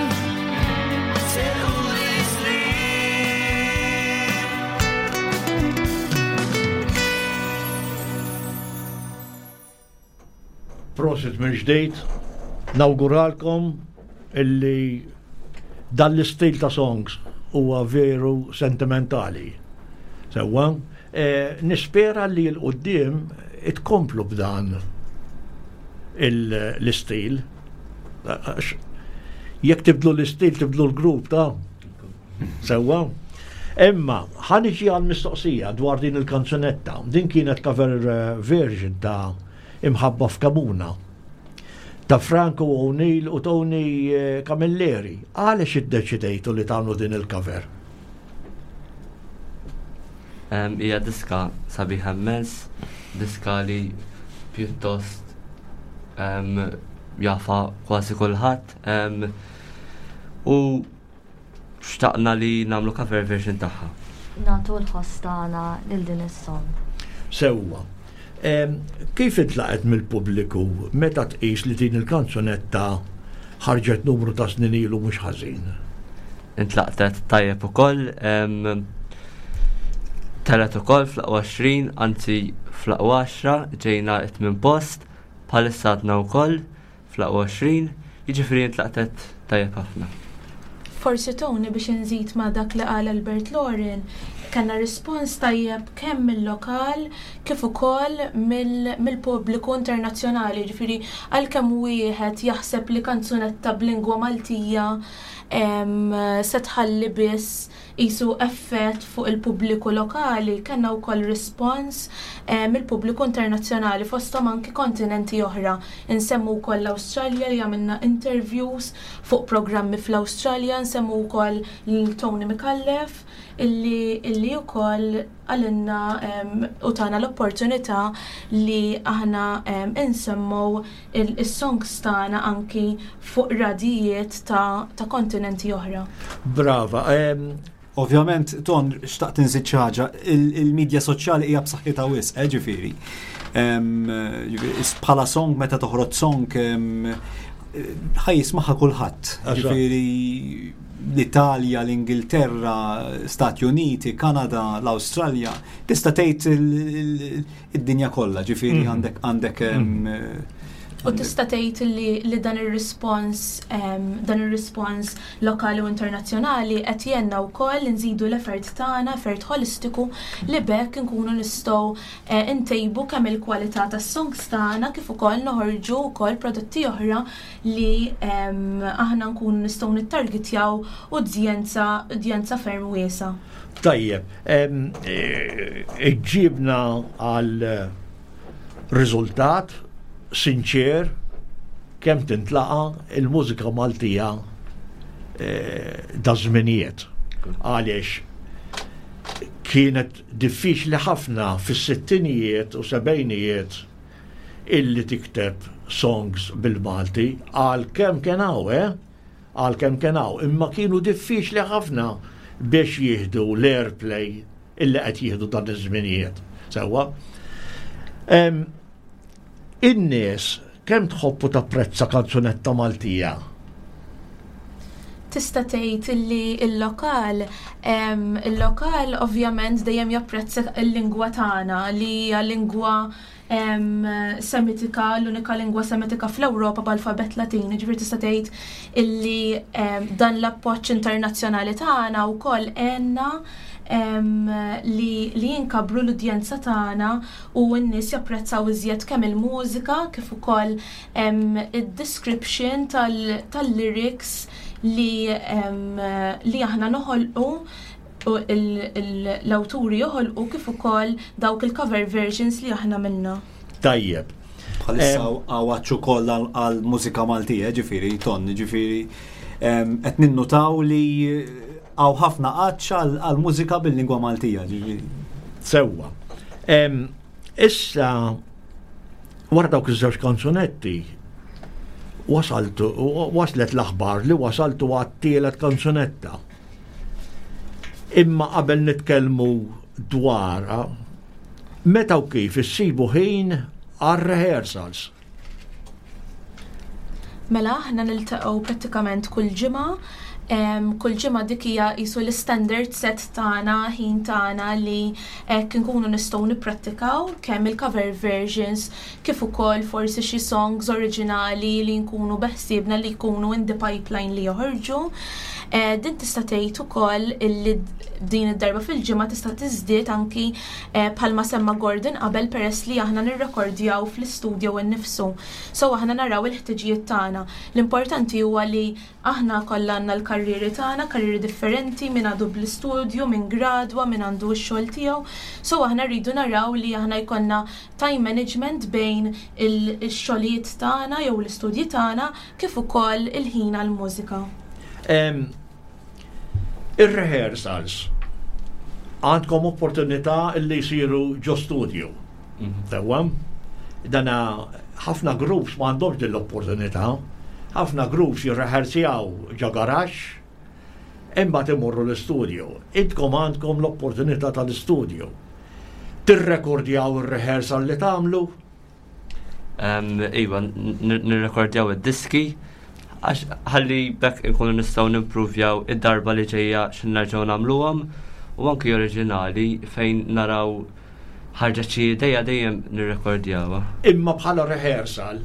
Speaker 8: serquli snin.
Speaker 2: Prosit mill-ġdid, nawguralkom illi dan l-istil ta' songs huwa veru sentimentali. Sewwa, eh, nispera li l-qudiem itkomplu b'dan l-istil. Jekk tibdlu l-istil, tibdlu l-grupp ta' Sewwa. Imma, ħaniġi għal mistoqsija dwar din il-kanzunetta. Din kienet cover eh, version ta' Imħabba f'Kamuna ta' Franco O'Neill u Tony eh, Camilleri. Għaliex iddeċidejtu li tagħmlu din il-cover?
Speaker 4: Hija diska sabiħa immens, diska li pjuttost jafa kważi kulħadd u xtaqna li nagħmlu cover version tagħha.
Speaker 3: Nagħtu l-ħoss tagħna lil din is-song.
Speaker 2: Sewwa. Kif intlaqgħet mill-pubbliku meta tqis li din il-kanzunetta ħarġet numru ta' snin ilu mhux ħażin?
Speaker 4: Intlaqtet tajjeb ukoll. Telgħet ukoll fl-aqwa 20, anzi fl-aqwa 10 ġejna it-tmien post, bħalissa għadna wkoll fl-aqwa 20, jiġifieri intlaqtet tajjeb ħafna.
Speaker 6: Forsi Tony biex inżid ma' dak li qal Albert Lauren, kellna rispons tajjeb kemm mill-lokal kif ukoll mill-pubbliku internazzjonali, jiġifieri għalkemm wieħed jaħseb li kanzunetta b'lingwa Maltija se tħalli biss qisu effett fuq il-pubbliku lokali, kellna wkoll rispons mill-pubbliku internazzjonali fosthom anki kontinenti oħra. Insemmu wkoll l-Awstralja li għamilna interviews fuq programmi fl-Awstralja, nsemmu wkoll lil Tony Micallef illi illi wkoll qalilna u tana l-opportunità li aħna insemmu is-songs tagħna anki fuq radijiet ta', ta kontinenti oħra.
Speaker 2: Brava.
Speaker 5: Ovvjament, Ton, xtaqt inżid xi ħaġa, il-medja soċjali hija b'saħħitha wisq, eh, ġifieri. Bħala song meta toħroġ song ħaj jismaħħa kulħadd. Ġifieri l-Italja, l-Ingilterra, Stati Uniti, Kanada, l-Awstralja, tista' tgħid id-dinja kollha, ġifieri mm. għandek għandek mm.
Speaker 6: U tista' tgħid li, li dan ir-rispons dan ir-rispons lokali u internazzjonali qed jgħinna wkoll nżidu l-effort tagħna, effort holistiku li bekk inkunu nistgħu eh, ntejbu kemm il-kwalità tas-songs tagħna kif ukoll noħorġu wkoll prodotti oħra li aħna nkunu nistgħu nittargetjaw udjenza udjenza ferm wiesa.
Speaker 2: Tajjeb, iġġibna għal riżultat sinċer kemm tintlaqa il-mużika Maltija eh, da żminijiet. Għaliex kienet diffiċli ħafna fis-sittinijiet u sebgħinijiet illi tikteb songs bil-Malti għal kemm kien hawn, eh? Għalkemm kien hawn, imma kienu diffiċli ħafna biex jieħdu l-airplay. illi qed jieħdu dan iż-żminijiet. Sewwa. In-nies kemm tħobb u tapprezza kanzunetta Maltija?
Speaker 6: Tista' tgħid illi l-lokal il-lokal ovvjament dejjem japprezza l-lingwa tagħna li hija lingwa Semitika, l-unika lingwa Semitika fl-Ewropa b'alfabett Latin, jiġifieri tista' tgħid illi dan l-appoġġ internazzjonali tagħna wkoll għenna li li jinkabru l-udjenza tagħna u n-nies japprezzaw iżjed kemm il-mużika kif ukoll id-description tal-lyrics li li aħna noħolqu u l-awturi joħolqu kif ukoll dawk il-cover versions li aħna minna.
Speaker 2: Tajjeb.
Speaker 5: Bħalissa għawaċ ukoll għal mużika Maltija, ġifieri, ton, ġifieri qed ninnutaw li għaw ħafna għatx għal mużika bil-lingwa Maltija, ġifieri.
Speaker 2: Sewwa. Issa wara dawk iż-żewġ kanzunetti wasaltu waslet l-aħbar li wasaltu għat-tielet kanzunetta. Imma qabel nitkellmu dwarha, meta u kif issibu ħin għar-rehearsals?
Speaker 6: Mela aħna niltaqgħu prattikament kull ġimgħa. Kull ġimgħa dik hija qisu l-istandard set tagħna, ħin tagħna li hekk inkunu nistgħu nipprattikaw kemm il-cover versions kif ukoll forsi xi songs oriġinali li nkunu beħsiebna li jkunu in the pipeline li joħorġu. Eh, din tista' tgħid ukoll illi din id-darba fil-ġimgħa tista' tiżdied anki eh, bħalma semma Gordon qabel peress li aħna nirrekordjaw fl-istudio innifsu. So aħna naraw il-ħtiġijiet tagħna. L-importanti huwa li Aħna kollha għandna l-karrieri tagħna, karrieri differenti, min għadu bl-istudju, min gradwa, min għandu x-xogħol tiegħu. So aħna rridu naraw li aħna jkollna time management bejn ix-xogħlijiet tagħna jew l-istudji tagħna kif ukoll il-ħin għall-mużika.
Speaker 2: Ir-rehearsals għandkom opportunità li jsiru ġo studio. Mhm. Sewwa? Dana ħafna groups ma għandhomx din l-opportunità. Ħafna groups jirrehearsjaw ġo garaxx, imbagħad imorru l-istudio. Intkom għandkom l-opportunità tal-istudio. Tirrekordjaw ir-rehearsal li tagħmlu?
Speaker 4: Iva, nirrekordjaw id-diski għax ħalli bekk inkunu nistgħu nimpruvjaw id-darba li ġejja x'nerġgħu nagħmluhom u anki oriġinali fejn naraw ħarġet xi ideja dejjem nirrekordjawha.
Speaker 2: Imma bħala rehearsal,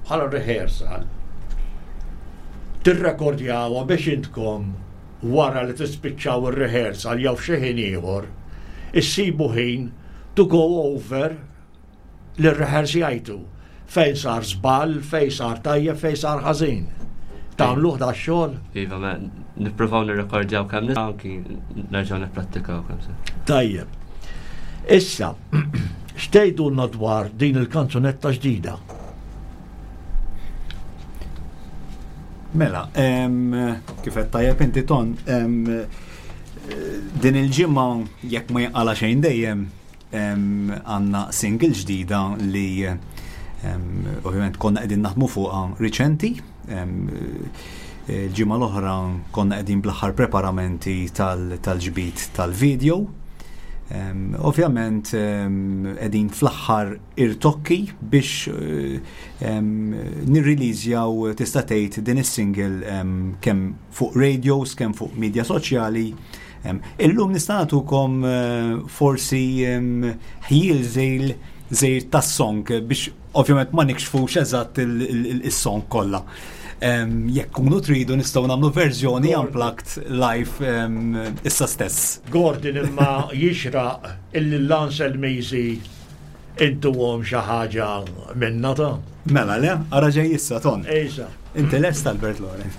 Speaker 2: bħala rehearsal, tirrekordjawha biex intkom wara li tispiċċaw ir-rehearsal jew f'xi ħin ieħor, issibu ħin to go over li rrehearsjajtu fejn sar żball, fejn sar tajjeb, fejn sar ħażin. Tagħmluh da xogħol?
Speaker 4: Iva, ma nippruvaw nirrekordjaw kemm nistgħu anki nerġgħu nipprattikaw kemm se.
Speaker 2: Tajjeb. Issa, x'tgħidulna dwar din il-kanzunetta ġdida?
Speaker 5: Mela, kif qed tajjeb inti ton, din il-ġimgħa jekk ma jinqala xejn dejjem Għandna single ġdida li ovvjament konna qegħdin naħdmu fuqha riċenti. Il-ġimgħa l-oħra konna qegħdin bl-aħħar preparamenti tal-ġbid tal-video. Ovvjament qegħdin fl-aħħar irtokki biex nirriliżjaw tista' tgħid din is-single kemm fuq radios, kemm fuq media soċjali. Illum nista' nagħtukom eh, forsi ħjiel żejl żejr tas-song biex ovvjament ma nikxfux eżatt is-song kollha. Jekk kunu tridu nistgħu nagħmlu verżjoni unplugged live issa stess.
Speaker 2: Gordon imma jixraq illi l-Lancel Misi intuhom xi ħaġa minna ta'.
Speaker 5: Mela le, ara ġej issa ton.
Speaker 2: Ejsa.
Speaker 5: Inti lest Albert Loren.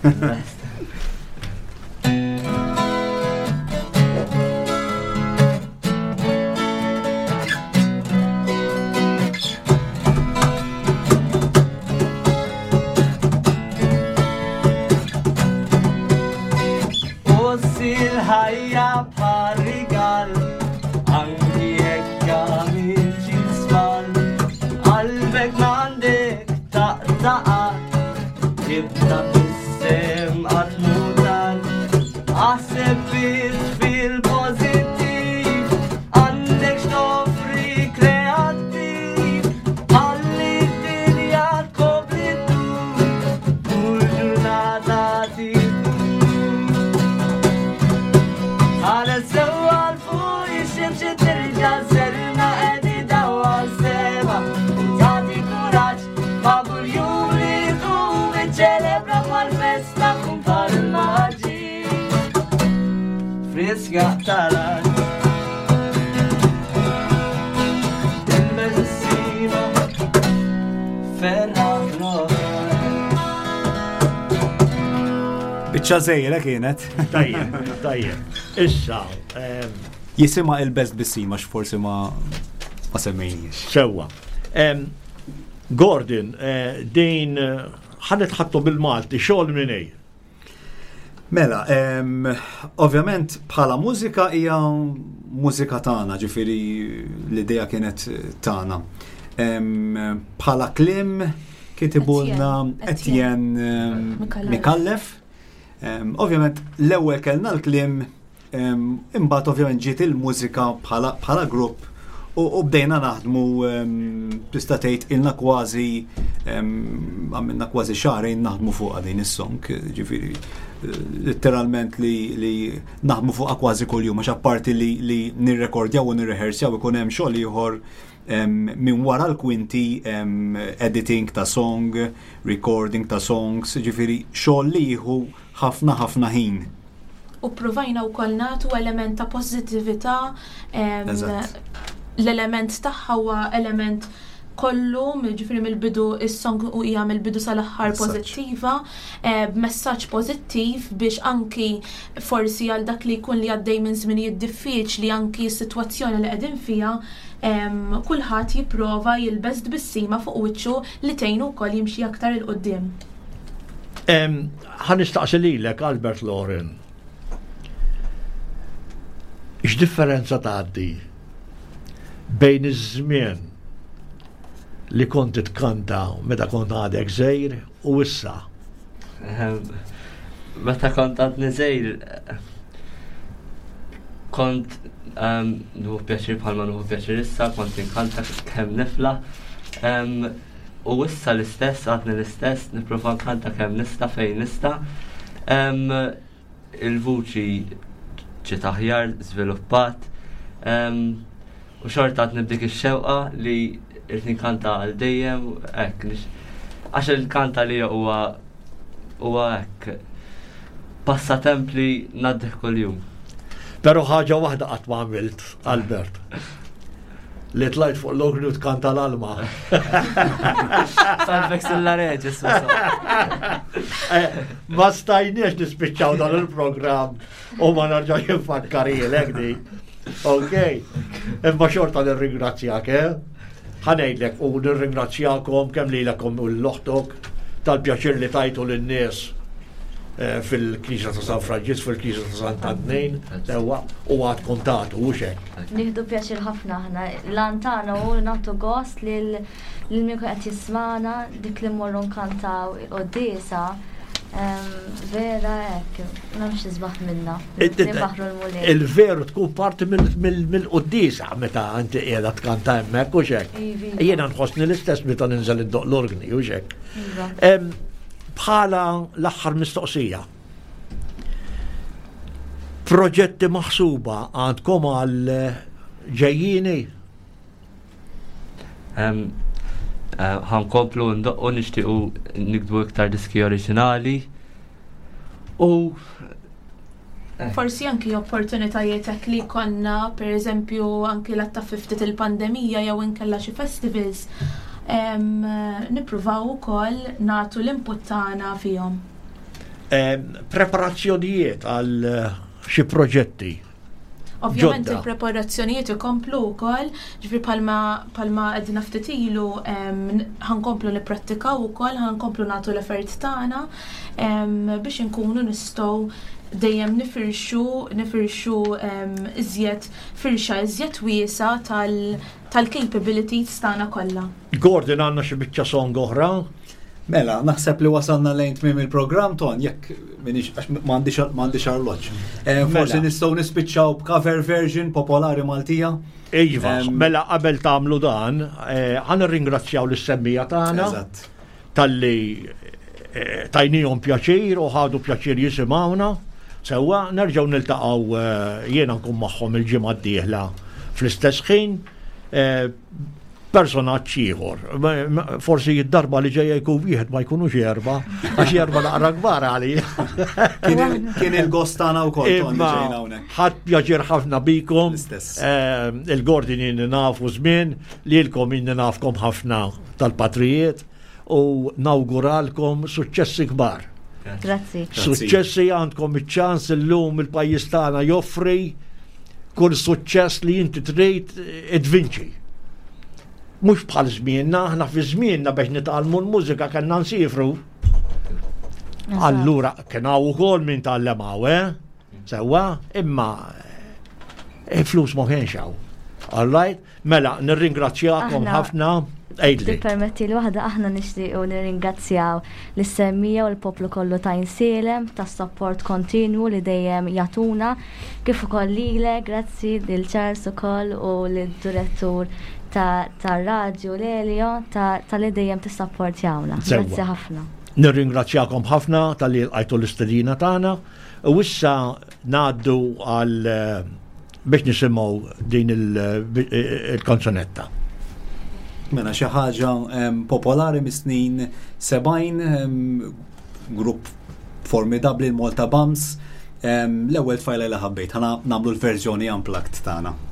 Speaker 8: ħajja bħal rigal anki jekk għamilt xi żball. Qalbek m'għandek taqtaqa tibda fis-sem qatt mutal. Aħseb biss fil-pożittiv.
Speaker 7: Niċċelebraw mal-festa kumpar il-maġi.
Speaker 4: Friska tal-art. Il-medicina ferra
Speaker 5: Biċċa żejra kienet.
Speaker 2: Tajjeb, tajjeb. Issa,
Speaker 5: Jisimha il-best bissima x'forsi ma ma semmejniex.
Speaker 2: Sewwa. Gordon, eh, din eh, ħanet ħattu bil-Malti, xogħol minn ej.
Speaker 5: Mela, ovvjament bħala mużika hija mużika tagħna, ġifieri l-idea kienet tagħna. Bħala klim kitibulna Etienne Mikallef. Ovvjament l-ewwel kellna l-kliem Imbagħad ovvjament ġiet il-mużika bħala grupp u bdejna naħdmu tista' tgħid ilna kważi għamilna kważi xahrejn naħdmu fuqha din is-song, ġifieri letteralment li, li naħdmu fuqha kważi kuljum għax apparti li, li nirrekordjaw u nirrehersjaw ikun hemm xogħol ieħor minn wara l-kwinti editing ta' song, recording ta' songs, ġifieri xogħol li jieħu ħafna ħafna ħin.
Speaker 6: U ppruvajna wkoll nagħtu element ta' pożittività. L-element tagħha huwa element kollu, ġifieri mill-bidu is-song u hija mill-bidu sal-aħħar pożittiva, eh, b'messaġġ pożittiv biex anki forsi għal dak li jkun li għaddej minn żminijiet diffiċli anki s-sitwazzjoni li qegħdin fiha, kulħadd jipprova jilbes tbissima fuq wiċċu li tgħinu wkoll jimxi aktar 'il quddiem.
Speaker 2: Ħa nistaqsi lilek Albert Loren. X'differenza tgħaddi bejn iż-żmien li kont tkanta meta kont għadek żgħir u issa?
Speaker 4: Meta kont għadni żgħir kont nieħu pjaċir bħalma nieħu pjaċir issa, kont inkanta kemm nifla. U issa l-istess, għadni l-istess, nipprova nkanta kemm nista' fejn nista'. Il-vuċi ġiet aħjar, żviluppat. U xorta għad nibdik ix-xewqa li irrid nkanta għal dejjem, hekk. Għax il-kanta li huwa huwa hekk passatemp li ngħaddih kuljum.
Speaker 2: Però ħaġa waħda qatt ma għamilt, Albert. Li tlajt fuq l-ogri u tkanta l-alma.
Speaker 4: Salvek sulla reġis.
Speaker 2: Eh, ma stajniex nispiċċaw dan il-programm u ma narġax infakkarilek di. Ok, imma xorta nirringrazzjak, eh? Ħanejdlek u nirringrazzjakom kemm lilek u l-oħtok tal-pjaċir li tajtu lin-nies eh, fil-Knisja ta' San Franġisk, fil-Knisja ta' Sant Antnin, sewwa, u għadkom tagħtu u hekk.
Speaker 3: Nieħdu pjaċir ħafna aħna. L-għan tagħna hu nagħtu gost lil min qed jismana dik li mmorru nkantaw il-quddiesa. Vera hekk, m'hemmx isbaħ minna.
Speaker 2: Il-veru tkun parti mill-quddiesa meta inti qiegħda tkanta hemmhekk u xek. Iva. Jiena nħossni l-istess meta ninżel id-doq l-organi u xek. Iva. Bħala l-aħħar mistoqsija. Proġetti maħsuba għandkom għal ġejjini?
Speaker 4: Eh, ħankomplu ndoqqu nixtiequ nikdbu iktar diski oriġinali u
Speaker 6: eh. Forsi anki opportunitajiet hekk li konna, per eżempju, anki l-atta ftit il-pandemija jew inkella xi festivals, nippruvaw ukoll nagħtu l-input tagħna fihom.
Speaker 2: Preparazzjonijiet għal xi proġetti
Speaker 6: Ovvjament il-preparazzjonijiet ikomplu wkoll, ġifieri palma palma għedna ftit ilu ħankomplu nipprattikaw ukoll, ħankomplu nagħtu l-effort tagħna biex inkunu nistgħu dejjem nifirxu nifirxu iżjed firxa iżjed wiesa tal-capabilities tagħna kollha.
Speaker 2: Gordon għandna xi biċċa song oħra?
Speaker 5: Mela, naħseb li wasalna lejn tmiem il-programm ton, jekk minix għax m'għandix arloġġ. Eh, forsi mela. nistgħu nispiċċaw b'cover version popolari Maltija.
Speaker 2: Iva, mela qabel tagħmlu dan, eh, ħan nirringrazzjaw lis-semmija tagħna talli eh, tajnihom pjaċir u ħadu pjaċir jisimgħuna. Sewwa, nerġgħu niltaqgħu jiena nkun magħhom il-ġimgħa d-dieħla fl-istess ħin. Personaġġ ieħor. Forsi id-darba li ġejja jkun wieħed ma jkunux erba, għax erba naqra kbar għalija.
Speaker 5: Kien il-gost tagħna wkoll Tony ġejna hawnhekk.
Speaker 2: Ħadd pjaċir ħafna bikom. Ehm, Il-Gordon inni nafu żmien, lilkom inni nafkom ħafna tal-patrijiet u nawguralkom suċċessi kbar.
Speaker 3: Grazzi.
Speaker 2: Suċċessi għandkom iċ-ċans illum il-pajjiż tagħna joffri kull suċċess li inti trid idvinċi. Mhux bħal żmienna, aħna fi żmienna biex nitgħallmu l-mużika kellna nsifru. Allura kien hawn ukoll min tgħallem hawn, eh? Sewwa, imma eh, flus ma kienx hawn. All right? Mela, nirringrazzjakom ħafna.
Speaker 3: Għidli. Tippermetti li waħda aħna nixtiequ nirringrazzjaw lis-semmija u l-poplu kollu ta' Insielem tas-sapport kontinwu li dejjem jagħtuna, kif ukoll lilek, grazzi lil Charles ukoll u lid-direttur tar-radju Lelio talli dejjem tissapportjawna. Grazzi ħafna.
Speaker 2: Nirringrazzjakom ħafna talli lqajtu l-istedina tagħna u issa ngħaddu għal eh, biex nisimgħu din il-kanzunetta.
Speaker 5: Mela xi ħaġa popolari mis-snin 70 grupp formidabbli l-Malta Bums l-ewwel tfajla li ħabbejt ħana nagħmlu l-verżjoni unplugged tagħna.